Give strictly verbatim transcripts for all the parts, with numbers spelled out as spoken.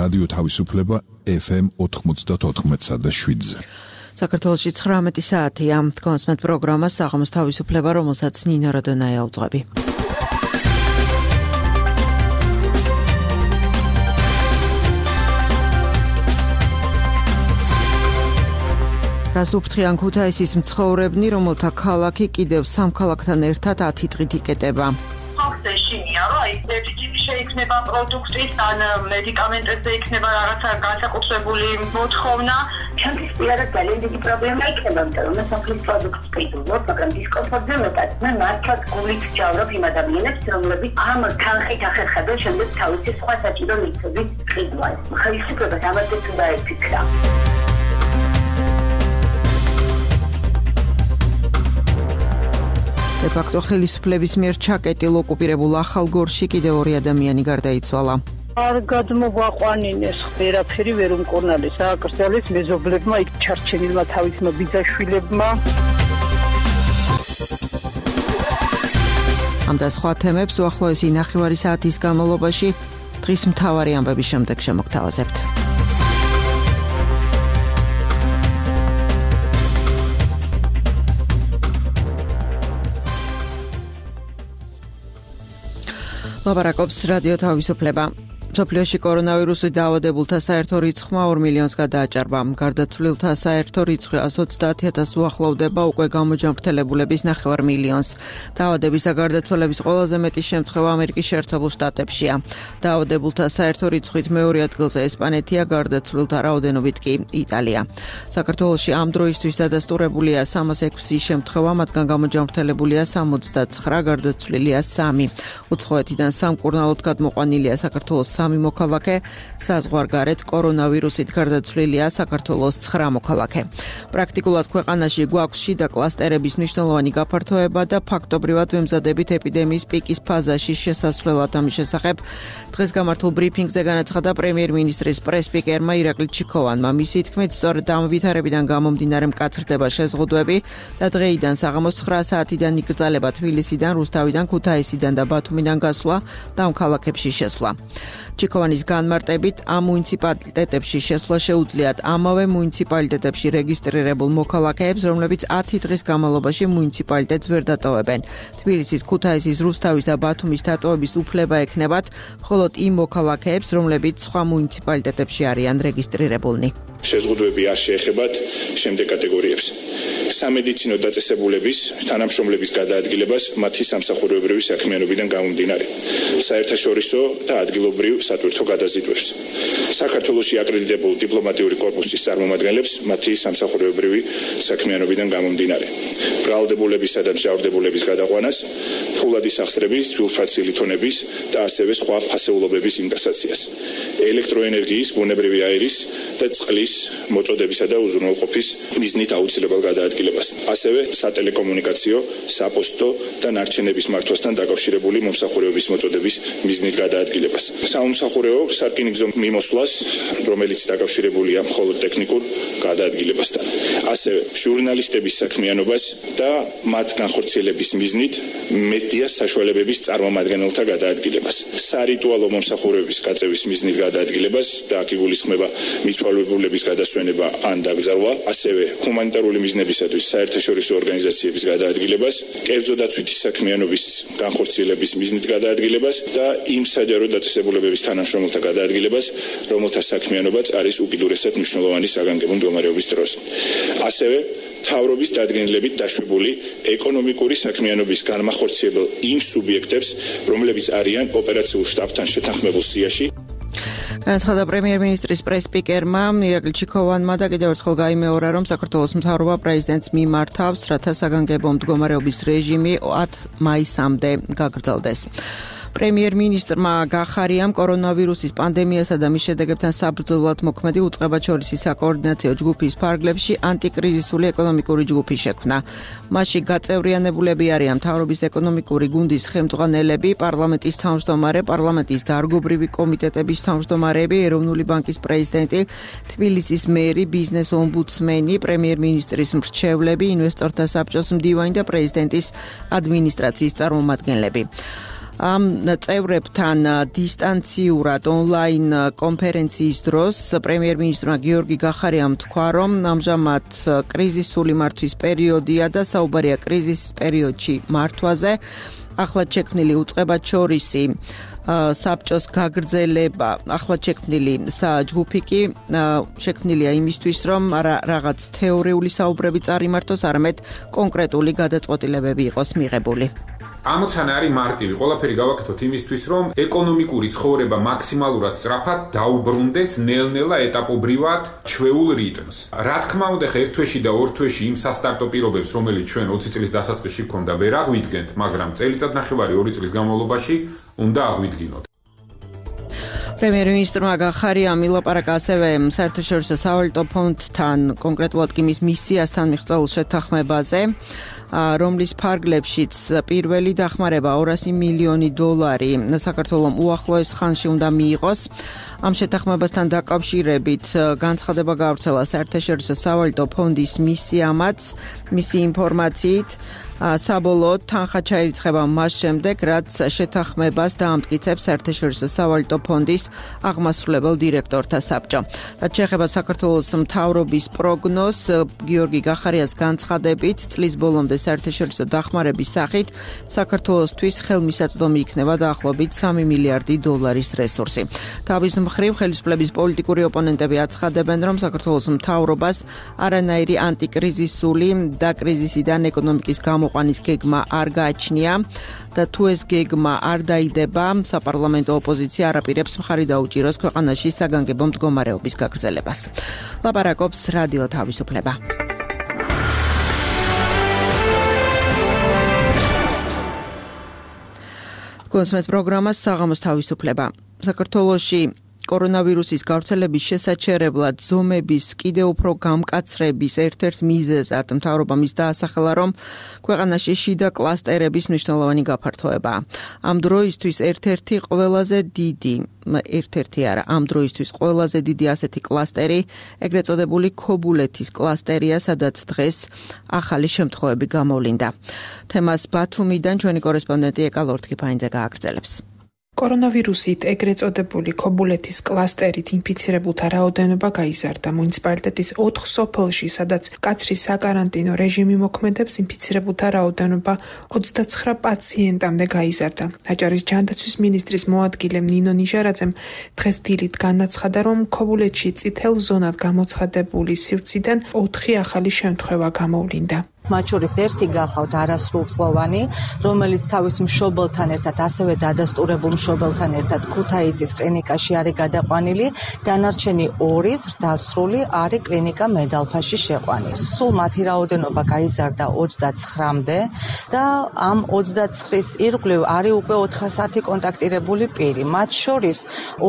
რადიო თავისუფლება ეფ ემ ოთხმოცდაოთხ და შვიდზე. საქართველოში ცხრამეტი საათია. კონსმეთ პროგრამა საღამოს თავისუფლება, რომელსაც ნინო რადონაია უძღვები. რას უფრთხიან ქუთაისის მცხოვრებნი, რომელთა ქალაქი კიდევ სამ ქალაქთან ერთად ათი დღით იკეტება. ხალხზე შინია, რომ აი ერთი შეიქმნება პროდუქტის ან მედიკამენტებზე იქნება რაღაცა განსაკუთრებული მოთხოვნა. ჩემთვის პირადად ძალიან დიდი პრობლემა იქნება, იმიტომ რომ მე საფრის პროდუქტს ვიყიდულობ, მაგრამ დისკომფორტზე მეტად მე მართლაც გულით ვჯავრობ იმ ადამიანებს, რომლებიც ამ თანხით ახერხებენ შემდეგ თავისი სხვა საჭირო მიწების ყიდვას. ხელისუფლებას ამაზეც უნდა ეფიქრა. დე-ფაქტო ხელისუფლების მიერ ჩაკეტილ ოკუპირებულ ახალგორში კიდევ ორი ადამიანი გარდაიცვალა. არ გადმოგვაყვანინეს ვერაფერი ვერ უმკურნალეს ააკრძალეს მეზობლებმა იქ ჩარჩენილმა თავისმა ბიძაშვილებმა. ამ და სხვა თემებს უახლოესი ნახევარი საათის განმავლობაში დღის მთავარი ამბების შემდეგ შემოგთავაზებთ. ლაპარაკობს რადიო თავისუფლება. მსოფლიოში კორონავირუსით დაავადებულთა საერთო რიცხვმა ორ მილიონს გადააჭარბა. გარდაცვლილთა საერთო რიცხვი ათას ოცდაათი ათასს უახლოვდება უკვე გამოჯანმრთელებულების ნახევარ მილიონს. დაავადების და გარდაცვალების ყველაზე მეტი შემთხვევა ამერიკის შეერთებულ შტატებშია. დაავადებულთა საერთო რიცხვით მეორე ადგილზე ესპანეთია, გარდაცვლილთა რაოდენობით კი იტალია. საქართველოში ამ დროისთვის დადასტურებულია სამას ექვსი შემთხვევა, მათგან გამოჯანმრთელებულია სამოცდაცხრა, გარდაცვლილია სამი. უცხოეთიდან სამკურნალოდ გადმოყვანილია საქართველოს სამი მოქალაქე, საზღვარგარეთ კორონავირუსით გარდაცვლილია საქართველოს ცხრა მოქალაქე. პრაქტიკულად ქვეყანაში გვაქვს შიდა კლასტერების მნიშვნელოვანი გაფართოება და ფაქტობრივად ვემზადებით ეპიდემიის პიკის ფაზაში შესასვლელად. ამის შესახებ დღეს გამართულ ბრიფინგზე განაცხადა პრემიერ-მინისტრის პრეს-სპიკერმა ირაკლი ჩიქოვანმა. მისი თქმით, სწორედ ამ ვითარებიდან გამომდინარე მკაცრდება შეზღუდვები და დღეიდან საღამოს ცხრა საათიდან იკრძალება თბილისიდან, რუსთავიდან, ქუთაისიდან და ბათუმიდან გასვლა და ამ ქალაქებში შესვლა. ჩიქოვანის განმარტებით, ამ მუნიციპალიტეტებში შესვლა შეუძლიათ ამავე მუნიციპალიტეტებში რეგისტრირებულ მოქალაქეებს, რომლებიც ათი დღის განმავლობაში მუნიციპალიტეტს ვერ დატოვებენ. თბილისის, ქუთაისის, რუსთავის და ბათუმის დატოვების უფლება ექნებათ მხოლოდ იმ მოქალაქეებს, რომლებიც სხვა მუნიციპალიტეტებში არიან რეგისტრირებულნი. შეზღუდვები არ შეეხებათ შემდეგ კატეგორიებს. სამედიცინო დაწესებულების თანამშრომლების გადაადგილებას მათი სამსახურებრივი საქმიანობიდან გამომდინარე. საერთაშორისო და ადგილობრივ სატვირთო გადაზიდვებს. საქართველოში აკრედიტებულ დიპლომატიური კორპუსის წარმომადგენლებს მათი სამსახურებრივი საქმიანობიდან გამომდინარე. ბრალდებულებისა და მჟავრდებულების გადაყვანას, ფულადის აღსწრების, თვილფაცილი თონების და ასევე სხვა ფასეულობების ინკასაციას. ელექტროენერგიის, ბუნებრივი აირის და წყლის მოწოდებისა და უზრუნველყოფის მიზნით აუცილებელ გადაადგილებას. ასევე სატელეკომუნიკაციო, საპოსტო და ნარჩენების მართვასთან დაკავშირებული მომსახურებების მოწოდების მიზნით გადაადგილებას. სამომსახურეო სარკინიგზო მიმოსვლას, რომელიც დაკავშირებულია მხოლოდ ტექნიკურ გადაადგილებასთან. ასევე ჟურნალისტების საქმიანობას და მათ განხორციელების მიზნით მედიას საშუალებების წარმომადგენელთა გადაადგილებას. სარიტუალო მომსახურების გაწევის მიზნით გადაადგილებას და აქ იგულისხმება მიცვალებულების გადასვენება ან დაკრძალვა, ასევე ჰუმანიტარული მიზნებისათვის საერთაშორისო ორგანიზაციების გადაადგილებას, კერძო დაცვითი საქმიანობის განხორციელების მიზნით გადაადგილებას და იმ საჯარო დაწესებულებების თანამშრომელთა გადაადგილებას, რომელთა საქმიანობაც არის უკიდურესად მნიშვნელოვანი საგანგებო მდგომარეობის დროს. ასევე მთავრობის დადგენილებით დაშვებული ეკონომიკური საქმიანობის განმახორციელებელ იმ სუბიექტებს, რომლებიც არიან ოპერაციულ შტაბთან შეთანხმებულ სიაში. განაცხადა პრემიერ-მინისტრის პრეს-სპიკერმა ირაკლი ჩიქოვანმა და კიდევ ერთხელ გაიმეორა, რომ საქართველოს მთავრობა პრეზიდენტს მიმართავს, რათა საგანგებო მდგომარეობის რეჟიმი ათ მაისამდე გაგრძელდეს. პრემიერ-მინისტრმა გახარიამ კორონავირუსის პანდემიასა და მის შედეგებთან საბრძოლოდ მოქმედი უწყებაჩორისი საკოორდინაციო ჯგუფის ფარგლებში ანტიკრიზისული ეკონომიკური ჯგუფი შექმნა. მასში გაწევრიანებულები არიან მთავრობის ეკონომიკური გუნდის ხელმძღვანელები, პარლამენტის თავმჯდომარე, პარლამენტის დარგობრივი კომიტეტების თავმჯდომარეები, ეროვნული ბანკის პრეზიდენტი, თბილისის მერი, ბიზნეს ომბუდსმენი, პრემიერ-მინისტრის მრჩევლები, ინვესტორთა საბჭოს მდივანი და პრეზიდენტის ადმინისტრაციის წარმომადგენლები. ამ წევრებთან დისტანციურად ონლაინ კონფერენციის დროს პრემიერ-მინისტრმა გიორგი გახარიამ თქვა, რომ ამჟამად კრიზისული მართვის პერიოდია და საუბარია კრიზისის პერიოდში მართვაზე. ახლად შექმნილი უწყებაჩორისი საბჭოს გაგრძელება, ახლად შექმნილი ჯგუფი კი შექმნილია იმისთვის, რომ არა რაღაც თეორიული საუბრები წარიმართოს, არამედ კონკრეტული გადაწყვეტილებები იყოს მიღებული. ამოცანა არის მარტივი, ყველაფერი გავაკეთოთ იმისთვის, რომ ეკონომიკური ცხოვრება მაქსიმალურად სწრაფად დაუბრუნდეს ნელ-ნელა ეტაპობრივად ჩვეულ რიტმს. რა თქმა უნდა, ერთ თვეში და ორ თვეში იმ სასტარტო პირობებს, რომელიც ჩვენ ოცი წლის დასაწყისში გქონდა, ვერ აღვიდგენთ, მაგრამ წელიწად ნახევარი ორი წლის განმავლობაში უნდა აღვიდგინოთ. პრემიერ-მინისტრმა გახარიამ ილაპარაკა ასევე საერთაშორისო სავალუტო ფონდთან, კონკრეტულად კი მის მისიასთან მიღწეულ შეთანხმებაზე, რომლის ფარგლებშიც პირველი დახმარება ორასი მილიონი დოლარი საქართველოს უახლოეს ხანში უნდა მიიღოს. ამ შეთანხმებასთან დაკავშირებით განცხადება გავრცელა საერთაშორისო სავალუტო ფონდის მისიამაც, მისი ინფორმაციით საბოლოოდ თანხა ჩაირიცხება მას შემდეგ, რაც შეთანხმებას დაამტკიცებს საერთაშორისო სავალუტო ფონდის აღმასრულებელ დირექტორთა საბჭო. რაც შეეხება საქართველოს მთავრობის პროგნოზს, გიორგი გახარიას განცხადებით, წლის ბოლომდე საერთაშორისო დახმარების სახით საქართველოსთვის ხელმისაწვდომი იქნება დაახლოებით სამი მილიარდი დოლარის რესურსი. თავის მხრივ ხელისუფლების პოლიტიკური ოპონენტები აცხადებენ, რომ საქართველოს მთავრობას არანაირი ანტიკრიზისული და კრიზისიდან ეკონომიკის გამოყვანის გეგმა არ გააჩნია და თუ ეს გეგმა არ დაიდება, საპარლამენტო ოპოზიცია არაპირებს მხარი დაუჭიროს ქვეყანაში საგანგებო მდგომარეობის გაგრძელებას. ლაპარაკობს რადიო თავისუფლება. კონსმეთ პროგრამას საღამოს თავისუფლება. საქართველოში კორონავირუსის გავრცელების შესაჩერებლად ზომების კიდევ უფრო გამკაცრების ერთ-ერთ მიზეზად მთავრობა მის დაასახელა, რომ ქვეყანაში შიდა კლასტერების მნიშვნელოვანი გაფართოებაა. ამ დროისთვის ერთ-ერთი ყველაზე დიდი, ერთ-ერთი არა, ამ დროისთვის ყველაზე დიდი ასეთი კლასტერი, ეგრეთ წოდებული ქობულეთის კლასტერია, სადაც დღეს ახალი შემთხვევები გამოვლინდა. თემას ბათუმიდან ჩვენი კორესპონდენტი ეკა ლორთქიფაინძე გააგრძელებს. კორონავირუსით ეგრეთ წოდებული ქობულეთის კლასტერით ინფიცირებულთა რაოდენობა გაიზარდა. მუნიციპალიტეტის ოთხ სოფელში, სადაც მკაცრი საკარანტინო რეჟიმი მოქმედებს, ინფიცირებულთა რაოდენობა ოცდაცხრა პაციენტამდე გაიზარდა. აჭარის ჯანდაცვის მინისტრის მოადგილე ნინო ნიჟარაძემ დღეს დილით განაცხადა, რომ ქობულეთში წითელ ზონად გამოცხადებული სივრციდან ოთხი ახალი შემთხვევა გამოვლინდა. მათ შორის ერთი გახავთ არასრულწლოვანი, რომელიც თავის მშობელთან ერთად, ასევე დადასტურებულ მშობელთან ერთად ქუთაისის კლინიკაში არის გადაყვანილი, დანარჩენი ორი ზრდასრული არის კლინიკა მედალფაში შეყვანილი. სულ მათი რაოდენობა გაიზარდა ოცდაცხრამდე და ამ ოცდაცხრის ირგვლივ არის უკვე ოთხასათი კონტაქტირებული პირი. მათ შორის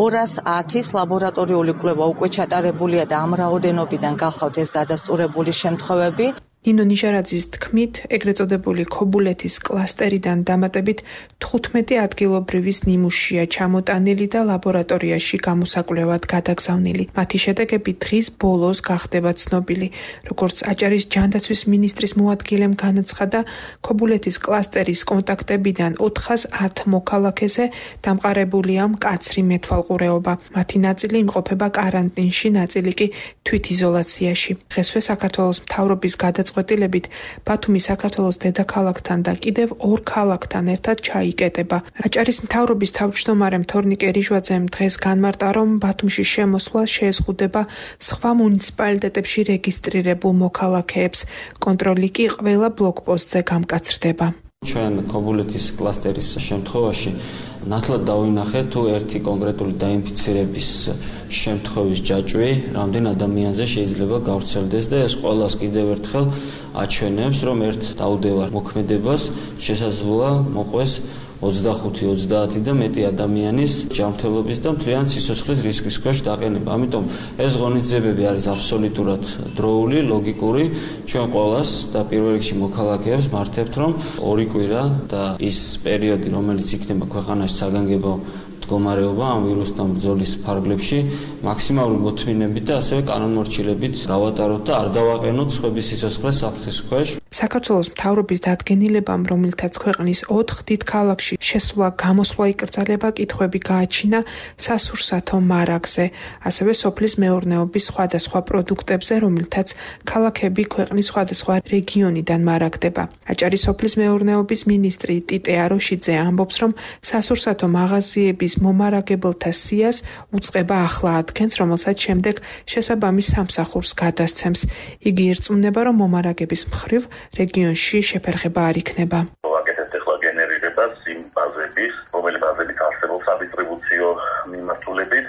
ორას ათის ლაბორატორიული კვლევა უკვე ჩატარებულია და ამ რაოდენობიდან გახავთ ეს დადასტურებული შემთხვევები. ნინო ნიჟარაძის თქმით, ეგრეთ წოდებული ქობულეთის კლასტერიდან დამატებით თხუთმეტი ადგილობრივის ნიმუშია ჩამოტანილი და ლაბორატორიაში გამოსაკვლევად გადაგზავნილი. მათი შედეგები დღის ბოლოს გახდება ცნობილი. როგორც აჭარის ჯანდაცვის მინისტრის მოადგილემ განაცხადა, ქობულეთის კლასტერის კონტაქტებიდან ოთხას ათ მოქალაქეზე დამყარებულია მკაცრი მეთვალყურეობა. მათი ნაწილი იმყოფება კარანტინში, ნაწილი კი თვითიზოლაციაში. დღესვე საქართველოს მთავრობის გადაწყვეტილებით წყვეტილებით ბათუმი საქართველოს დედაქალაქთან და კიდევ ორ ქალაქთან ერთად ჩაიკეტება. აჭარის მთავრობის თავმჯდომარემ თორნიკე რიჟვაძემ დღეს განმარტა, რომ ბათუმში შემოსვლა შეეზღუდება სხვა მუნიციპალიტეტებში რეგისტრირებულ მოქალაქეებს. კონტროლი კი ყველა ბლოკპოსტზე გამკაცრდება. ჩვენ ქობულეთის კლასტერის შემთხვევაში ნათლად დავინახეთ, თუ ერთი კონკრეტული დაინფიცირების შემთხვევის ჯაჭვი რამდენ ადამიანზე შეიძლება გავრცელდეს და ეს ყველას კიდევ ერთხელ აჩვენებს, რომ ერთ დაუდევარ მოქმედებას შესაძლოა მოყვეს ოცდახუთი ოცდაათი და მეტი ადამიანის ჯანმრთელობის და მთლიან სიცოცხლის რისკის ქვეშ დაყენება. ამიტომ ეს ღონისძიებები არის აბსოლუტურად დროული, ლოგიკური. ჩვენ ყველას და პირველ რიგში მოქალაქეებს მართებთ, რომ ორი კვირა და ის პერიოდი, რომელიც იქნება ქვეყანაში საგანგებო მდგომარეობა ამ ვირუსთან ბრძოლის ფარგლებში მაქსიმალური მოთმინებით და ასევე კანონმორჩილებით გავატაროთ და არ დავაყენოთ სხვების სიცოცხლეს საფრთხის ქვეშ. საქართველოს მთავრობის დადგენილებამ, რომელთაც ქვეყნის ოთხ დიდ ქალაქში შესვლა გამოსვლა იკრძალება, კითხვები გააჩინა სასურსათო მარაგზე, ასევე სოფლის მეურნეობის სხვადასხვა პროდუქტებზე, რომელთაც ქალაქები ქვეყნის სხვადასხვა რეგიონიდან მარაგდება. აჭარის სოფლის მეურნეობის მინისტრი ტიტე აროშიძე ამბობს, რომ სასურსათო მაღაზიების მომარაგებელთა სიას უწყება ახლა ადგენს, რომელსაც შემდეგ შესაბამის სამსახურს გადასცემს. იგი ირწმუნება, რომ მომარაგების მხრივ რეგიონში შეფერხება არ იქნება. ვაკეთებთ ახლა გენერირებას იმ ბაზების, რომელი ბაზებით არსებობს სადისტრიბუციო მიმართულებით,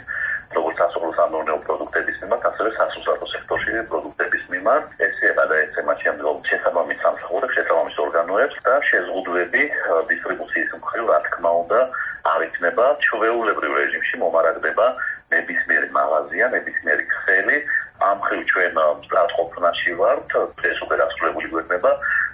როგორც სასოფლო-სამეურნეო პროდუქტების მიმართ, ასევე სასურსათო სექტორში პროდუქტების მიმართ. ესეება და ეცემა შემდგომ შესაბამის სამსახურებს, შესაბამის ორგანოებს და შეზღუდვები დისტრიბუციის მხრივ, რა თქმა უნდა, არ იქნება ჩვეულებრივ რეჟიმში მომარაგდება ნებისმიერი მაღაზია, ნებისმიერი ქსელი. ამ მხრივ ჩვენ სტატყოფნაში ვართ, ეს უკვე დასრულებული გვექნება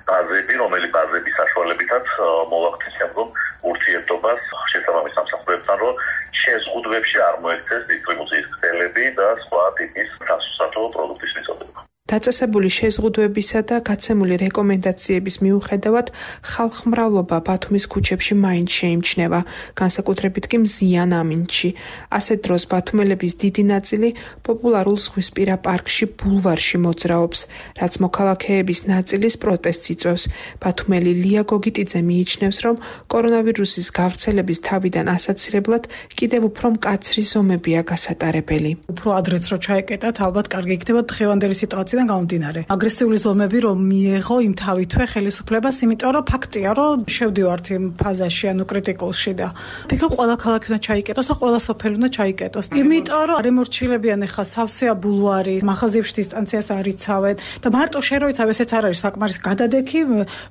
ბაზები, რომელი ბაზების საშუალებითაც მოვახდით შემდგომ ურთიერთობას შესაბამის სამსახურებთან, რომ შეზღუდვებში არ მოექცეს დისტრიბუციის ქსელები და სხვა ტიპის სასურსათო პროდუქტის მიწოდება. დაწესებული შეზღუდვებისა და გაცემული რეკომენდაციების მიუხედავად ხალხმრავლობა ბათუმის ქუჩებში მაინც შეიმჩნევა, განსაკუთრებით კი მზიან ამინდში. ასეთ დროს ბათუმელების დიდი ნაწილი პოპულარულ ზღვისპირა პარკში ბულვარში მოძრაობს, რაც მოქალაქეების ნაწილის პროტესტს იწვევს. ბათუმელი ლია გოგიტიძე მიიჩნევს, რომ კორონავირუსის გავრცელების თავიდან ასაცილებლად კიდევ უფრო მკაცრი ზომებია გასატარებელი. უფრო ადრეც რო ჩაეკეტათ, ალბათ კარგი იქნება დღევანდელი სიტუაცია გამომდინარე. აგრესიული ზომები რომ მიეღო იმ თავითვე ხელისუფლებას, იმიტომ რომ ფაქტია, რომ შევდივართ იმ ფაზაში, ანუ კრიტიკულში და ფიქრობ ყველა ქალაქი უნდა ჩაიკეტოს და ყველა სოფელი უნდა ჩაიკეტოს. იმიტომ რომ არ ემორჩილებიან ახლა სავსეა ბულვარი, მაღაზიებში დისტანციას არ იცავენ და მარტო შენ რო იცავ, ესეც არ არის საკმარის გადადექი,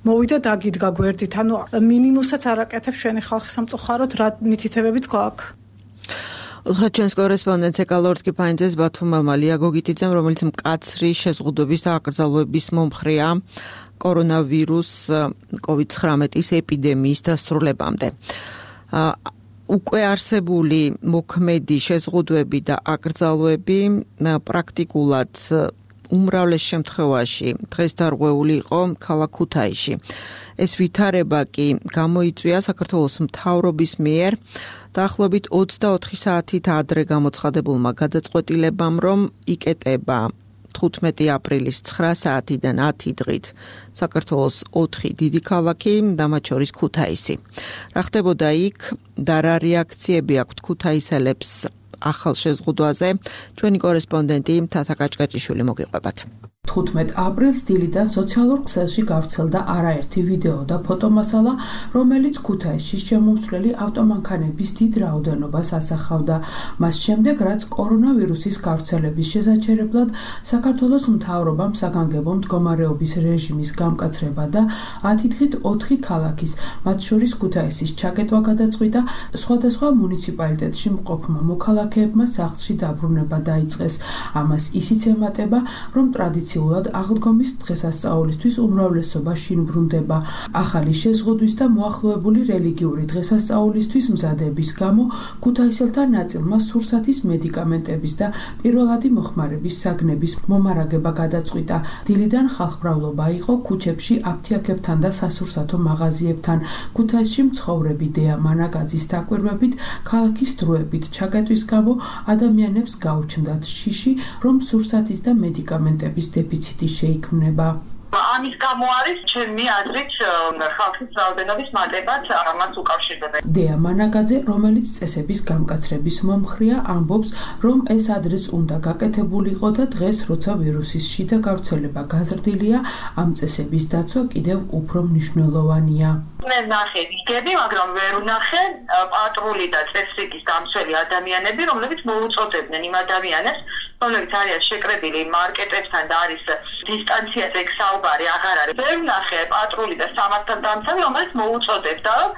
მოვიდა დაგიდგა გვერდით. ანუ მინიმუმსაც არ აკეთებს ჩვენი ხალხი სამწუხაროდ, რა მითითებებიც გვაქვს. უთხრათ ჩვენს კორესპონდენტს ეკალორტკი ფაინძეს ბათუმელმა ლია გოგიტიძემ, რომელიც მკაცრი შეზღუდვების და აკრძალვების მომხრეა კორონავირუს კოვიდ ცხრამეტის ეპიდემიის დასრულებამდე. უკვე არსებული მოქმედი შეზღუდვები და აკრძალვები პრაქტიკულად უმრავლეს შემთხვევაში დღეს დარღვეული იყო ქალაქ ქუთაისში. ეს ვითარება კი გამოიწვია საქართველოს მთავრობის მიერ დაახლოებით ოცდაოთხი საათით ადრე გამოცხადებულმა გადაწყვეტილებამ, რომ იკეტება თხუთმეტი აპრილის ცხრა საათიდან ათი დღით საქართველოს ოთხი დიდი ქალაქი და მათ შორის ქუთაისი. რა ხდებოდა იქ და რა რეაქციები აქვთ ქუთაისელებს ახალ შეზღუდვაზე, ჩვენი კორესპონდენტი თათა კაჭკაჭიშვილი მოგიყვებათ. თხუთმეტ აპრილს დილიდან სოციალურ ქსელში გავრცელდა არაერთი ვიდეო და ფოტომასალა, რომელიც ქუთაისში შემომსვლელი ავტომანქანების დიდ რაოდენობას ასახავდა. მას შემდეგ, რაც კორონავირუსის გავრცელების შესაჩერებლად საქართველოს მთავრობამ საგანგებო მდგომარეობის რეჟიმის გამკაცრება და ათი დღით ოთხი ქალაქის, მათ შორის ქუთაისის ჩაკეტვა გადაწყვიტა, სხვადასხვა მუნიციპალიტეტში მყოფმა მოქალაქეებმა სახლში დაბრუნება დაიწყეს. ამას ისიც ემატება, რომ ტრადიციულად აღდგომის დღესასწაულისთვის უმრავლესობა შინ ბრუნდება. ახალი შეზღუდვის და მოახლოებული რელიგიური დღესასწაულისთვის მზადების გამო ქუთაისელთა ნაწილმა სურსათის მედიკამენტების და პირველადი მოხმარების საგნების მომარაგება გადაწყვიტა. დილიდან ხალხმრავლობა იყო ქუჩებში აფთიაქებთან და სასურსათო მაღაზიებთან. ქუთაისში მცხოვრები დეა მანაგაძის დაკვირვებით, ქალაქის დროებით ჩაკეტვის გამო ადამიანებს გაუჩნდათ შიში, რომ სურსათის და მედიკამენტების დეფიციტი შეიქმნება. ამის გამო არის ჩემი აზრით ხალხის რაოდენობის მატებაც ამას უკავშირდება. დეა მანაგაძე, რომელიც წესების გამკაცრების მომხრეა, ამბობს, რომ ეს ადრეც უნდა გაკეთებულიყო და დღეს, როცა ვირუსის შიდა გავრცელება გაზრდილია, ამ წესების დაცვა კიდევ უფრო მნიშვნელოვანია. მე ნახე ვიდეოები, მაგრამ ვერ ვნახე პატრული და წესრიგის დამცველი ადამიანები, რომლებიც მოუწოდებდნენ იმ ადამიანებს, რომლებიც არიან შეკრებილი მარკეტებთან და არის დისტანციაზე საუბარი აღარ არის. ვერ ვნახე პატრული და სამართალდამცავი, რომელიც მოუწოდებდა, რომ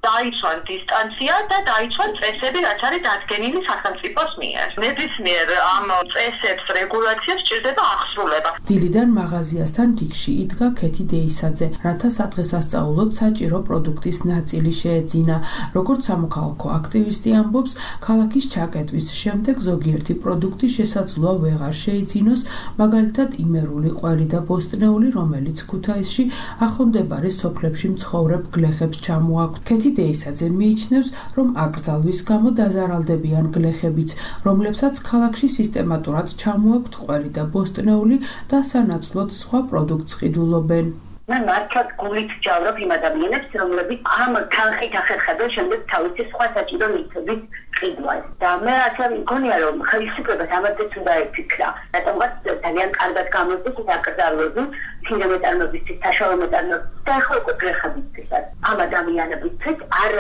დაიცვან დისტანცია და დაიცვან წესები, რაც არის დადგენილი სახელმწიფოს მიერ. ნებისმიერ ამ წესებს, რეგულაციებს სჭირდება აღსრულება. დილიდან მაღაზიასთან რიგში იდგა ქეთი დეისაძე, რათა სადღესასწაულოდ საჭირო პროდუქტის ნაწილი შეეძინა. როგორც სამოქალაქო აქტივისტი ამბობს, ქალაქის ჩაკეტვის შემდეგ ზოგიერთი პროდუქტი შესაძლოა ვეღარ შეიძინოს, მაგალითად იმერული ყველი და ბოსტნეული, რომელიც ქუთაისში ახლომდებარე სოფლებში მცხოვრებ გლეხებს ჩამოაქვთ. ქეთი დეისაძე მიიჩნევს, რომ აკრძალვის გამო დაზარალდებიან გლეხებიც, რომლებსაც ქალაქში სისტემატურად ჩამოაქვთ ყველი და ბოსტნეული და სანაცვლოდ სხვა პროდუქტს ყიდულობენ. მე მართლაც გულით ვჯავრობ იმ ადამიანებს, რომლებიც ამ თანხით ახერხებენ შემდეგ თავისი სხვა საჭირო მიწების ყიდვას. და მე ასე მგონია, რომ ხელისუფლებას ამაზეც უნდა ეფიქრა. რატომღაც ძალიან კარგად გამოდის ეს აკრძალვები, წინა მეტარნობისთვის, საშუალო მეტარნობისთვის და ახლა უკვე გლეხებისთვისაც. ამ ადამიანებისთვის არ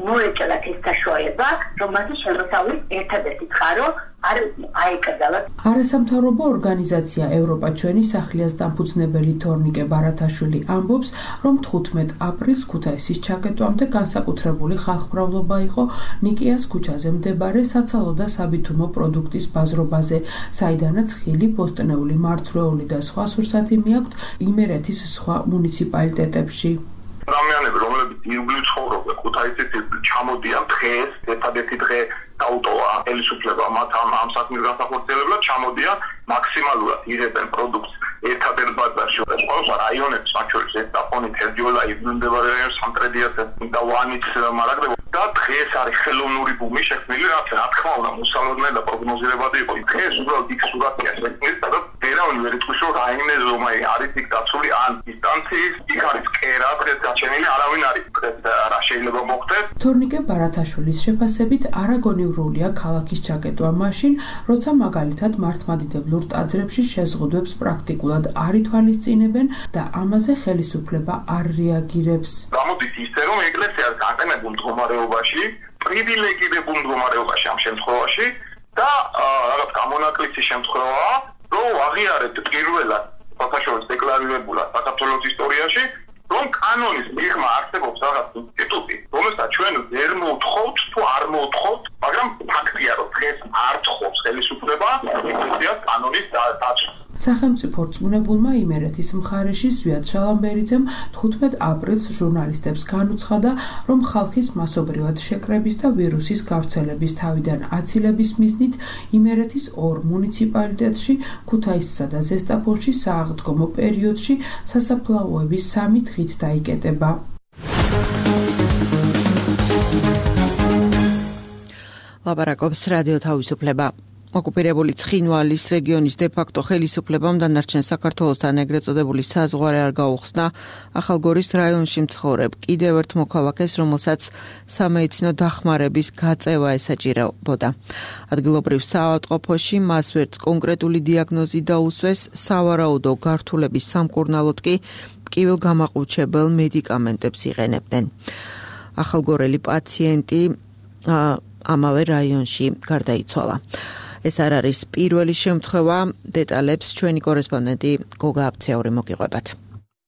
მოეჭალათ ეს საშუალება, რომ მათი შემოსავლის ერთადერთი წყარო არ აიკრძალათ. არასამთავრობო ორგანიზაცია ევროპა ჩვენი სახლიას დამფუძნებელი თორნიკე ბარათაშვილი ამბობს, რომ თხუთმეტ აპრილს ქუთაისის ჩაკეტვამდე განსაკუთრებული ხალხმრავლობა იყო ნიკიას ქუჩაზე მდებარე საცალო და საბითუმო პროდუქტის ბაზრობაზე, საიდანაც ხილი, ბოსტნეული, მარცვლეული და სხვა სურსათი მიაქვთ იმერეთის სხვა მუნიციპალიტეტებში. ადამიანები, რომლებიც ირგვლივ ცხოვრობენ ქუთაისის ირგვლივ, ჩამოდიან დღეს, ერთადერთი დღე დაუტოვა ხელისუფლება მათ ამ ამ საქმის განსახორციელებლად, ჩამოდიან მაქსიმალურად იღებენ პროდუქტს ერთადერთ ბაზარში. ყველა რაიონებში, მათ შორის ესტაფონი, თერჯოლა, ირგვლივ მდებარე რაიონი, სამტრედიასა და ვანიც მარაგდება და დღეს არის ხელოვნური ბუმი შექმნილი, რაც რა თქმა უნდა მოსალოდნელი და პროგნოზირებადი იყო. დღეს უბრალოდ იქ სურათია შექმნილი, სადაც ვერავინ ვერ იტყვის, რომ რაიმე ზომა არის იქ დაცული ან დისტანციის, იქ არის კერა დღეს გაჩენილი, არავინ არის დღეს რა შეიძლება მოხდეს. თორნიკე ბარათაშვილის შეფასებით არაგონიურულია ქალაქის ჩაკეტვა მაშინ, როცა მაგალითად მართლმადიდებლურ ტაძრებში შეზღუდვებს პრაქტიკულად არ ითვალისწინებენ და ამაზე ხელისუფლება არ რეაგირებს. გამოდის ისე, რომ ეკლესიას განყენებულ მდგომარეობაში, პრივილეგირებულ მდგომარეობაში ამ შემთხვევაში და რაღაც გამონაკლისის შემთხვევაა, რომ აღიარეთ პირველად ფაქტობრივად დეკლარირებულად საქართველოს ისტორიაში, რომ კანონის მიღმა არსებობს რაღაც ინსტიტუტი, რომელსაც ჩვენ ვერ მოვთხოვთ თუ არ მოვთხოვთ, მაგრამ ფაქტია, რომ დღეს არ თხოვს ხელისუფლება ეკლესიას კანონის დაცვას. სახელმწიფო რწმუნებულმა იმერეთის მხარეში ზვიად შალამბერიძემ თხუთმეტ აპრილს ჟურნალისტებს განუცხადა, რომ ხალხის მასობრივად შეკრების და ვირუსის გავრცელების თავიდან აცილების მიზნით იმერეთის ორ მუნიციპალიტეტში, ქუთაისსა და ზესტაფონში სააღდგომო პერიოდში სასაფლაოები სამი დღით დაიკეტება. ლაპარაკობს რადიო თავისუფლება. ოკუპირებული ცხინვალის რეგიონის დე-ფაქტო ხელისუფლებამ დანარჩენ საქართველოსთან ეგრეთ წოდებული საზღვარი არ გაუხსნა ახალგორის რაიონში მცხოვრებ კიდევ ერთ მოქალაქეს, რომელსაც სამედიცინო დახმარების გაწევა ესაჭირებოდა. ადგილობრივ საავადმყოფოში მას ვერც კონკრეტული დიაგნოზი დაუსვეს, სავარაუდო გართულების სამკურნალოდ კი ტკივილგამაყუჩებელ მედიკამენტებს იყენებდნენ. ახალგორელი პაციენტი ამავე რაიონში გარდაიცვალა. ეს არ არის პირველი შემთხვევა, დეტალებს ჩვენი კორესპონდენტი გოგა აბცეური მოგიყვებათ.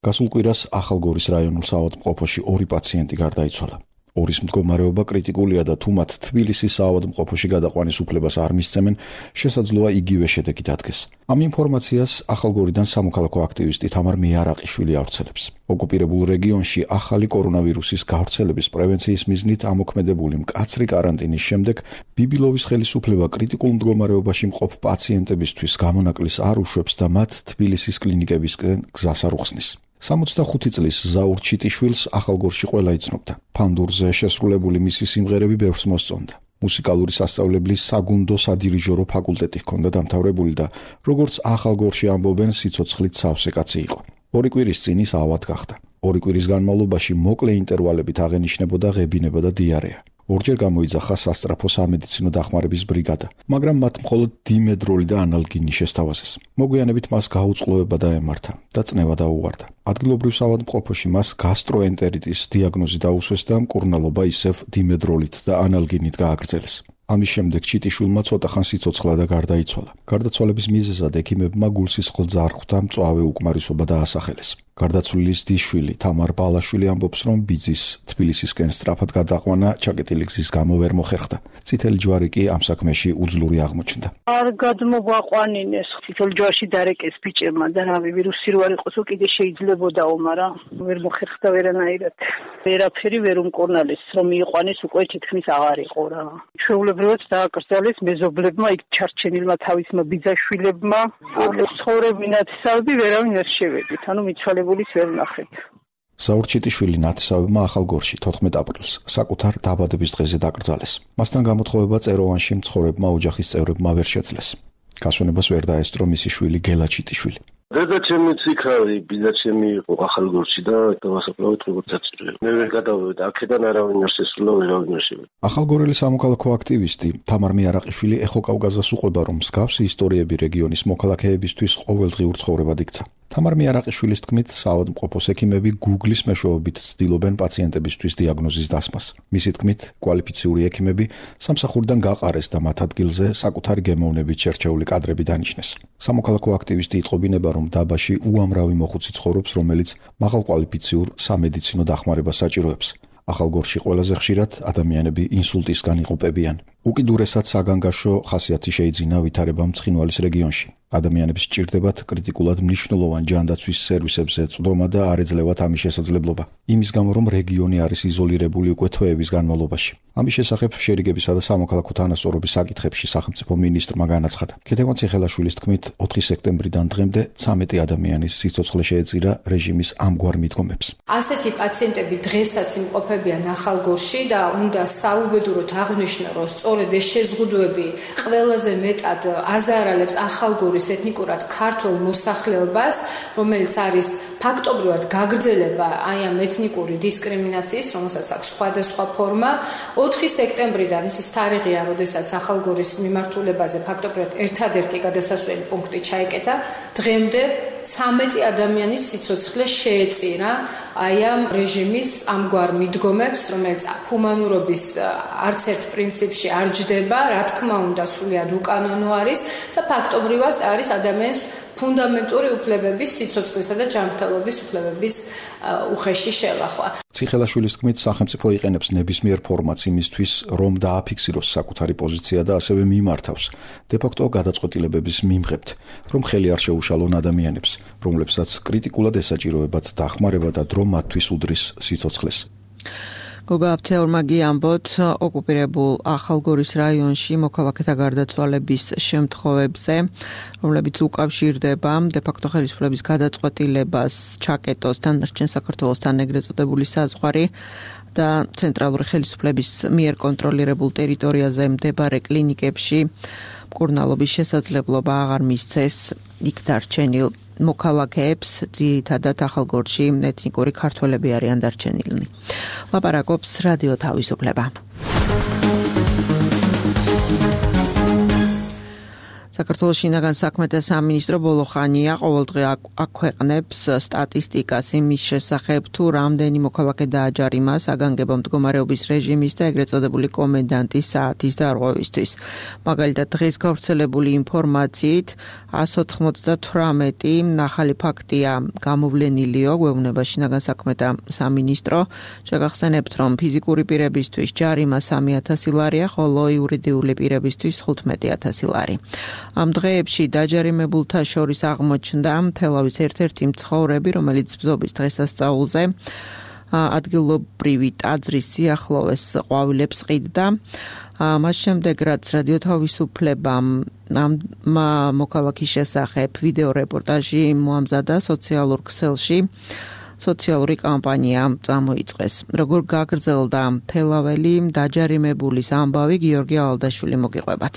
გასულ კვირას ახალგორის რაიონულ საავადმყოფოში ორი პაციენტი გარდაიცვალა. ორის მდგომარეობა კრიტიკულია და თუ მათ თბილისის საავადმყოფოში გადაყვანის უფლებას არ მისცემენ, შესაძლოა იგივე შედეგი დადგეს. ამ ინფორმაციას ახალგორიდან სამოქალაქო აქტივისტი თამარ მეარაყიშვილი ავრცელებს. ოკუპირებულ რეგიონში ახალი კორონავირუსის გავრცელების პრევენციის მიზნით ამოქმედებული მკაცრი კარანტინის შემდეგ ბიბილოვის ხელისუფლება კრიტიკულ მდგომარეობაში მყოფ პაციენტებისთვის გამონაკლის არ უშვებს და მათ თბილისის კლინიკებისკენ გზას არ უხსნის. სამოცდახუთი წლის ზაურ ჩიტიშვილს ახალგორში ყველა იცნობდა. ფანდურზე შესრულებული მისი სიმღერები ბევრს მოსწონდა. მუსიკალური სასწავლებლის საგუნდო სადირიჟორო ფაკულტეტი ჰქონდა დამთავრებული და როგორც ახალგორში ამბობენ, სიცოცხლით სავსე კაცი იყო. ორი კვირის წინ ის ავად გახდა. ორი კვირის განმავლობაში მოკლე ინტერვალებით აღენიშნებოდა ღებინება და დიარეა. ორჯერ გამოიძახა სასწრაფო სამედიცინო დახმარების ბრიგადა, მაგრამ მათ მხოლოდ დიმედროლი და ანალგინი შესთავაზეს. მოგვიანებით მას გაუწყლოება დაემართა და წნევა დაუვარდა. ადგილობრივ საავადმყოფოში მას გასტროენტერიტის დიაგნოზი დაუსვეს და მკურნალობა ისევ დიმედროლით და ანალგინით გააგრძელეს. ამის შემდეგ ჩიტიშვილმა ცოტა ხანს იცოცხლა და გარდაიცვალა. გარდაცვალების მიზეზად ექიმებმა გულსისხლძა არ ხვდა, მწვავე უკმარისობა დაასახელეს. გარდაცვლილის დიშვილი თამარ ბალაშვილი ამბობს, რომ ბიძის თბილისისკენ სწრაფად გადაყვანა ჩაკეტილი გზის გამო ვერ მოხერხდა. წითელი ჯვარი კი ამ საქმეში უძლური აღმოჩნდა. არ გადმოგვაყვანინეს წითელი ჯვარში დარეკეს ბიჭებმა და რავი ვირუსი რო არ იყოსო კიდე შეიძლებოდაო, მაგრამ ვერ მოხერხდა ვერანაირად. ვერაფერი ვერ უმკურნალეს, რომ მიიყვანეს უკვე თითქმის აღარ იყო რა. ჩვეულებრივად დააკრძალეს მეზობლებმა, იქ ჩარჩენილმა თავისმა ბიძაშვილებმა. ცხოვრები ნათესავები ვერავინ ვერ შევედით, ანუ მიცვალებულის ვერ ნახეთ. ზაურ ჩიტიშვილი ნათესავებმა ახალგორში თოთხმეტ აპრილს საკუთარ დაბადების დღეზე დაკრძალეს. მასთან გამოთხოვება წეროვანში მცხოვრებმა ოჯახის წევრებმა ვერ შეძლეს. გასვენებას ვერ დაესწრო მისი შვილი გელა ჩიტიშვილი. დედა ჩემიც იქ არის, ბიძა ჩემი იყო ახალგორში და დავასაფლავეთ როგორც საჭიროა. მე ვერ გადავედი, აქედან არავინ არ შესულა, ვერავინ არ შევედი. ახალგორელი სამოქალაქო აქტივისტი თამარ მიარაყიშვილი ეხო-კავკაზას უყვება, რომ მსგავსი ისტორიები რეგიონის მოქალაქეებისთვის ყოველდღიურ ცხოვრებად იქცა. თამარ მიარაყიშვილის თქმით, საავადმყოფოს ექიმები Google-ის მეშვეობით ცდილობენ პაციენტებისთვის დიაგნოზის დასმას. მისი თქმით, კვალიფიციური ექიმები სამსახურიდან გაყარეს და მათ ადგილზე საკუთარი გემოვნებით შერჩეული კადრები დანიშნეს. სამოქალაქო აქტივისტი იტყობინება, რომ დაბაში უამრავი მოხუცი ცხოვრობს, რომელიც მაღალკვალიფიციურ სამედიცინო დახმარებას საჭიროებს. ახალგორში ყველაზე ხშირად ადამიანები ინსულტისგან იყოფებიან. უკიდურესად საგანგაშო ხასიათი შეიძინა ვითარებამ ცხინვალის რეგიონში. ადამიანებს სჭირდებათ კრიტიკულად მნიშვნელოვან ჯანდაცვის სერვისებზე წვდომა და არ ეძლევათ ამის შესაძლებლობა. იმის გამო, რომ რეგიონი არის იზოლირებული უკვე თვეების განმავლობაში. ამის შესახებ შერიგებისა და სამოქალაქო თანასწორობის საკითხებში სახელმწიფო მინისტრმა განაცხადა. ქეთევან ციხელაშვილის თქმით, ოთხი სექტემბრიდან დღემდე ცამეტი ადამიანის სიცოცხლე შეეწირა რეჟიმის ამგვარ მიდგომებს. ასეთი პაციენტები დღესაც იმყოფებიან ახალგორში და უნდა საუბედუროდ აღნიშნო, რომ სწორედ ეს შეზღუდვები ყველაზე მეტად აზარალებს ახალგორის ეთნიკურად ქართულ მოსახლეობას, რომელიც არის ფაქტობრივად გაგრძელება აი ამ ეთნიკური დისკრიმინაციის, რომელსაც აქვს სხვადასხვა ფორმა. ოთხი სექტემბრიდან ეს თარიღია, როდესაც ახალგორის მიმართულებაზე ფაქტობრივად ერთადერთი გადასასვლელი პუნქტი ჩაიკეტა. დღემდე ცამეტი ადამიანის სიცოცხლე შეეწირა აი ამ რეჟიმის ამგვარ მიდგომებს, რომელიც ჰუმანურობის არც ერთ პრინციპში არ ჯდება, რა თქმა უნდა, სრულიად უკანონო არის და ფაქტობრივად არის ადამიანის ფუნდამენტური უფლებების, სიცოცხლისა და ჯანმრთელობის უფლებების უხეში შელახვა. ციხელაშვილის თქმით, სახელმწიფო იყენებს ნებისმიერ ფორმატს იმისთვის, რომ დააფიქსიროს საკუთარი პოზიცია და ასევე მიმართავს დე-ფაქტო გადაწყვეტილებების მიმღებთ, რომ ხელი არ შეუშალონ ადამიანებს, რომლებსაც კრიტიკულად ესაჭიროებათ დახმარება და დრო მათთვის უდრის სიცოცხლეს. გოგა აფთეორმა გიამბოთ, ოკუპირებულ ახალგორის რაიონში მოქალაქეთა გარდაცვალების შემთხვევებზე, რომლებიც უკავშირდება დე-ფაქტო ხელისუფლების გადაწყვეტილებას ჩაკეტოს დანარჩენ საქართველოსთან ეგრეთ წოდებული საზღვარი და ცენტრალური ხელისუფლების მიერ კონტროლირებულ ტერიტორიაზე მდებარე კლინიკებში მკურნალობის შესაძლებლობა აღარ მისცეს იქ დარჩენილ მოქალაქეებს, ძირითადად ახალგორში ეთნიკური ქართველები არიან დარჩენილნი. ლაპარაკობს რადიო თავისუფლება. საქართველოს შინაგან საქმეთა სამინისტრო ბოლო ხანია ყოველდღე აქვეყნებს სტატისტიკას იმის შესახებ, თუ რამდენი მოქალაქე დააჯარიმა საგანგებო მდგომარეობის რეჟიმის და ეგრეთ წოდებული კომენდანტის საათის დარღვევისთვის. მაგალითად, დღეს გავრცელებული ინფორმაციით εκατს ოცდათვრამეტი ახალი ფაქტია გამოვლენილიო, გვეუბნება შინაგან საქმეთა სამინისტრო. შეგახსენებთ, რომ ფიზიკური პირებისთვის ჯარიმა სამი ათასი ლარია, ხოლო იურიდიული პირებისთვის ხუთმეტი ათასი ლარი. ამ დღეებში დაჯარიმებულთა შორის აღმოჩნდა თელავის ერთ-ერთი მცხოვრები, რომელიც ბზობის დღესასწაულზე ადგილობრივი ტაძრის სიახლოვეს ყვავილებს ყიდდა. მას შემდეგ, რაც რადიო თავისუფლებამ ამ მოქალაქის შესახებ ვიდეო რეპორტაჟი მოამზადა სოციალურ ქსელში, სოციალური კამპანია წამოიწყეს. როგორ გაგრძელდა თელაველი დაჯარიმებულის ამბავი, გიორგი ალადაშვილი მოგიყვებათ.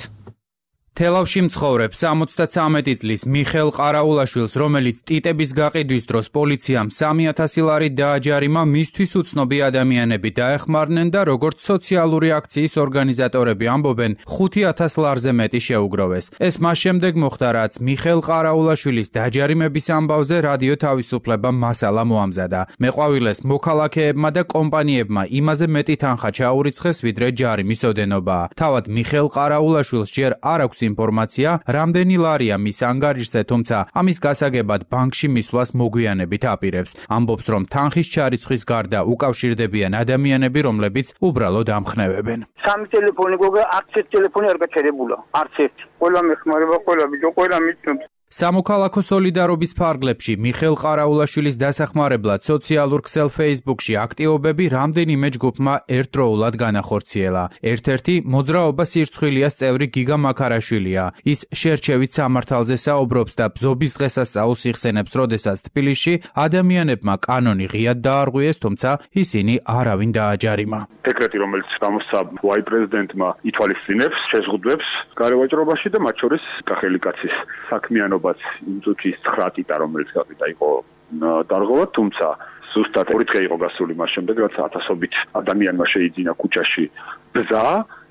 თელავში მცხოვრებს სამოცდათვრამეტი წლის მიხეილ ყარაულაშვილს, რომელიც ტიტების გაყიდვის დროს პოლიციამ სამი ათასი ლარი დააჯარიმა, მისთვის უცნობი ადამიანები დაეხმარნენ და როგორც სოციალური აქციის ორგანიზატორები ამბობენ, ხუთი ათას ლარზე მეტი შეუგროვეს. ეს მას შემდეგ მოხდა, რაც მიხეილ ყარაულაშვილის დაჯარიმების ამბავზე რადიო თავისუფლება მასალა მოამზადა. მეყვავილეს მოქალაქეებმა და კომპანიებმა იმაზე მეტი თანხა ჩაურიცხეს, ვიდრე ჯარიმის ოდენობა. თავად მიხეილ ყარაულაშვილს ჯერ არ აქვს ინფორმაცია, რამდენი ლარია მის ანგარიშზე, თუმცა ამის გასაგებად ბანკში მისვლას მოგვიანებით აპირებს. ამბობს, რომ თანხის ჩარიცხვის გარდა უკავშირდებიან ადამიანები, რომლებიც უბრალოდ ამხნევებენ. სამი ტელეფონი გოგა, არც ერთი ტელეფონი არ გაჩერებულა, არც ერთი. ყველა მეხმარება, ყველა ბიჭო, ყველა მიცნობს. სამოქალაქო სოლიდარობის ფარგლებში მიხეილ ყარაულაშვილის დასახმარებლად სოციალურ ქსელ Facebook-ში აქტივობები რამდენიმე ჯგუფმა ერთდროულად განახორციელა. ერთ-ერთი მოძრაობა სირცხვილიას წევრი გიგა მაქარაშვილია. ის შერჩევით სამართალზე საუბრობს და ბზობის დღესასწაულს იხსენებს, როდესაც თბილისში ადამიანებმა კანონი ღიად დაარღვიეს, თუმცა ისინი არავინ დააჯარიმა. დეკრეტი, რომელიც გამოსცა უაი პრეზიდენტმა, ითვალისწინებს შეზღუდვებს გარევაჭრობაში და მათ შორის კახელი კაცის საქმიანობა იმ წუთის ცხრა ტიტა, რომელიც გაკიდა იყო დარღვევა, თუმცა ზუსტად ორი დღე იყო გასული მას შემდეგ, რაც ათასობით ადამიანმა შეიძინა ქუჩაში ბზა,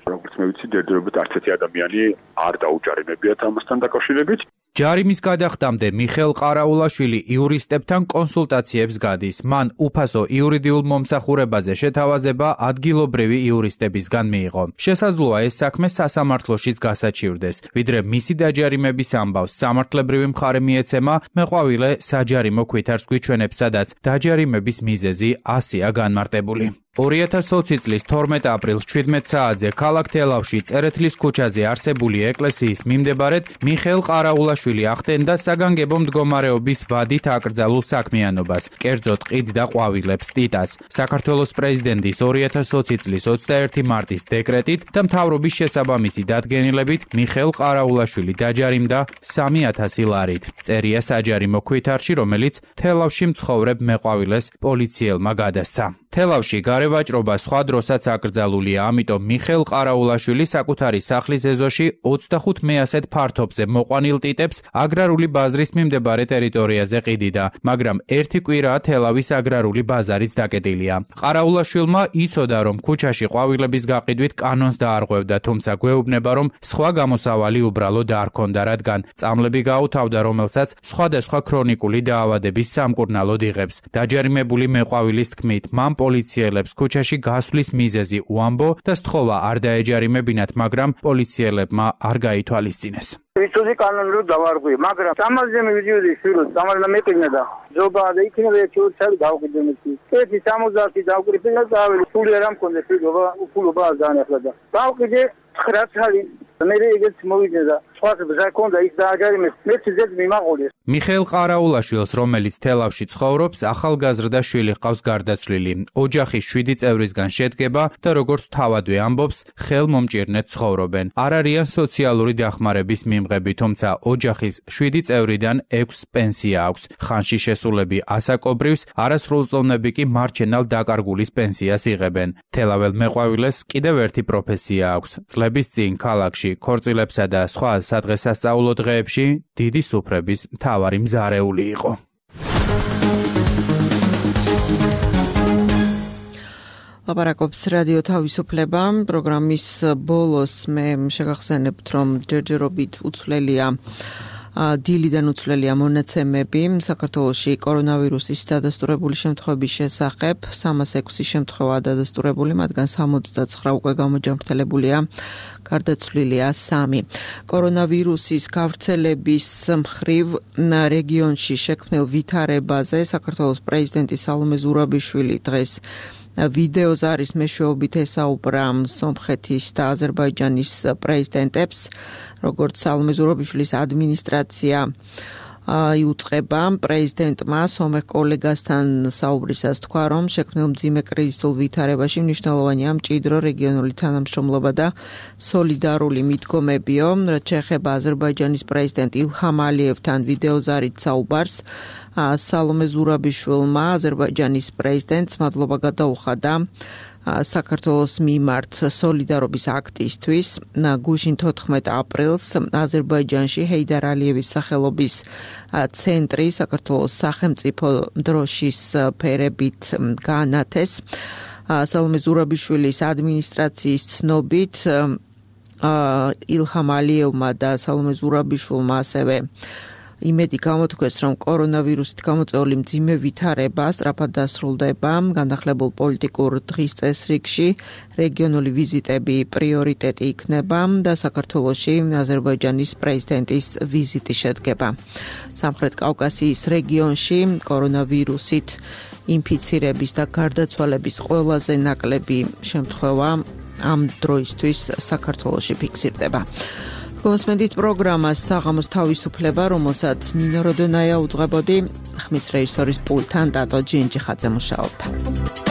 როგორც მე ვიცი, დერდერობით არც ერთი ადამიანი არ დაუჯარიმებიათ ამასთან დაკავშირებით. ჯარიმის გადახდამდე მიხეილ ყარაულაშვილი იურისტებთან კონსულტაციებს გადის. მან უფასო იურიდიულ მომსახურებაზე შეთავაზება ადგილობრივი იურისტებისგან მიიღო. შესაძლოა ეს საქმე სასამართლოშიც გასაჩივრდეს. ვიდრე მისი დაჯარიმების ამბავს სამართლებრივი მხარე მიეცემა, მეყვავილე საჯარიმო ქვითარს გვიჩვენებს, სადაც დაჯარიმების მიზეზი ასია განმარტებული. ორი ათას ოცი წლის თორმეტ აპრილს შვიდმეტ საათზე ქალაქ თელავში წერეთლის ქუჩაზე არსებული ეკლესიის მიმდებარედ მიხეილ ყარაულაშვილი ახდენდა საგანგებო მდგომარეობის ვადით აკრძალულ საქმიანობას, კერძოდ ყიდ და ყვავილებს ტიტას. საქართველოს პრეზიდენტის ორი ათას ოცი წლის ოცდაერთი მარტის დეკრეტით და მთავრობის შესაბამისი დადგენილებით მიხეილ ყარაულაშვილი დაჯარიმდა სამი ათასი ლარით. წერია საჯარიმო ქვითარში, რომელიც თელავში მცხოვრებ მეყვავილეს პოლიციელმა გადასცა. თელავში გარევაჭრობა სხვა დროსაც აკრძალულია, ამიტომ მიხეილ ყარაულაშვილი საკუთარი სახლის ეზოში ოცდახუთ მეასედ ფართობზე მოყვანილ ტიტებს აგრარული ბაზრის მიმდებარე ტერიტორიაზე ყიდიდა, მაგრამ ერთი კვირაა თელავის აგრარული ბაზარიც დაკეტილია. ყარაულაშვილმა იცოდა, რომ ქუჩაში ყვავილების გაყიდვით კანონს დაარღვევდა, თუმცა გვეუბნება, რომ სხვა გამოსავალი უბრალოდ არ ჰქონდა, რადგან წამლები გაუთავდა, რომელსაც სხვადასხვა ქრონიკული დაავადების სამკურნალოდ იღებს. დაჯარიმებული მეყვავილის თქმით, მან პოლიციელებს ქუჩაში გასვლის მიზეზი უამბო და სთხოვა არ დაეჯარიმებინათ, მაგრამ პოლიციელებმა არ გაითვალისწინეს. ვიცოდი კანონი რომ დავარღვიე, მაგრამ სამაზე მივიდიოდი შვილს, სამაზე მეყინა და ზობა და იქნება ერთი ორი წელი დავყიდე მეთი. ერთი სამოცდაათი დავყიდე და დაველი, სული არ მქონდა შვილობა, უფულობა არ დაანახლა და დავყიდე ცხრა წელი. მე ეგეც მოვიდე და სხვას ბზა ქონდა ის დააჯარიმეს, მეც ზედ მიმაყოლეს. მიხეილ ყარაულაშვილს, რომელიც თელავში ცხოვრობს, ახალგაზრდა შვილი ჰყავს გარდაცვლილი. ოჯახი შვიდი წევრისგან შედგება და როგორც თავადვე ამბობს, ხელმომჭირნედ ცხოვრობენ. არ არიან სოციალური დახმარების მიმღები, თუმცა ოჯახის შვიდი წევრიდან ექვსს პენსია აქვს. ხანში შესულები ასაკობრივს, არასრულწლოვნები კი მარჩენალ დაკარგულის პენსიას იღებენ. თელაվել მეყვავილეს კიდევ ერთი პროფესია აქვს. წლების წინ ქალაქში ქორწილებსა და სხვა სადღესასწაულო დღეებში დიდი სუფრების მთავარი მზარეული იყო. ლაპარაკობს რადიო თავისუფლება. პროგრამის ბოლოს მე შეგახსენებთ, რომ ჯერჯერობით უცვლელია დილიდან უცვლელია მონაცემები საქართველოში კორონავირუსის დადასტურებული შემთხვევების შესახებ. სამას ექვსი შემთხვევაა დადასტურებული, მათგან სამოცდაცხრა უკვე გამოჯანმრთელებულია, გარდაცვლილია სამი. კორონავირუსის გავრცელების მხრივ რეგიონში შექმნილ ვითარებაზე საქართველოს პრეზიდენტი სალომე ზურაბიშვილი დღეს ვიდეოზარის მეშვეობით ესაუბრა სომხეთის და აზერბაიჯანის პრეზიდენტებს, როგორც სალომე ზურაბიშვილის ადმინისტრაცია იუწყება პრეზიდენტმა სომეხ კოლეგასთან საუბრისას თქვა, რომ შექმნილ მძიმე კრიზისულ ვითარებაში მნიშვნელოვანია მჭიდრო რეგიონული თანამშრომლობა და სოლიდარული მიდგომებიო. რაც შეეხება აზერბაიჯანის პრეზიდენტ ილჰამ ალიევთან ვიდეოზარით საუბარს, სალომე ზურაბიშვილმა აზერბაიჯანის პრეზიდენტს მადლობა გადაუხადა საქართველოს მიმართ სოლიდარობის აქტისთვის. გუშინ თოთხმეტ აპრილს აზერბაიჯანში ჰეიდარ ალიევის სახელობის ცენტრი საქართველოს სახელმწიფო დროშის ფერებით გაანათეს. სალომე ზურაბიშვილის ადმინისტრაციის ცნობით ილჰამ ალიევმა და სალომე ზურაბიშვილმა ასევე იმედი გამოთქვეს, რომ კორონავირუსით გამოწვეული მძიმე ვითარება სწრაფად დასრულდება. განახლებულ პოლიტიკურ დღის წესრიგში რეგიონული ვიზიტები პრიორიტეტი იქნება და საქართველოში აზერბაიჯანის პრეზიდენტის ვიზიტი შედგება. სამხრეთ კავკასიის რეგიონში კორონავირუსით ინფიცირების და გარდაცვალების ყველაზე ნაკლები შემთხვევა ამ დროისთვის საქართველოში ფიქსირდება. გოსმენდით პროგრამას საღამოს თავისუფლება, რომელსაც ნინო როდონაია უძღვებოდი, ხმის რეჟისორის პულტთან დატო ჯინჯიხაძე მუშაობდა.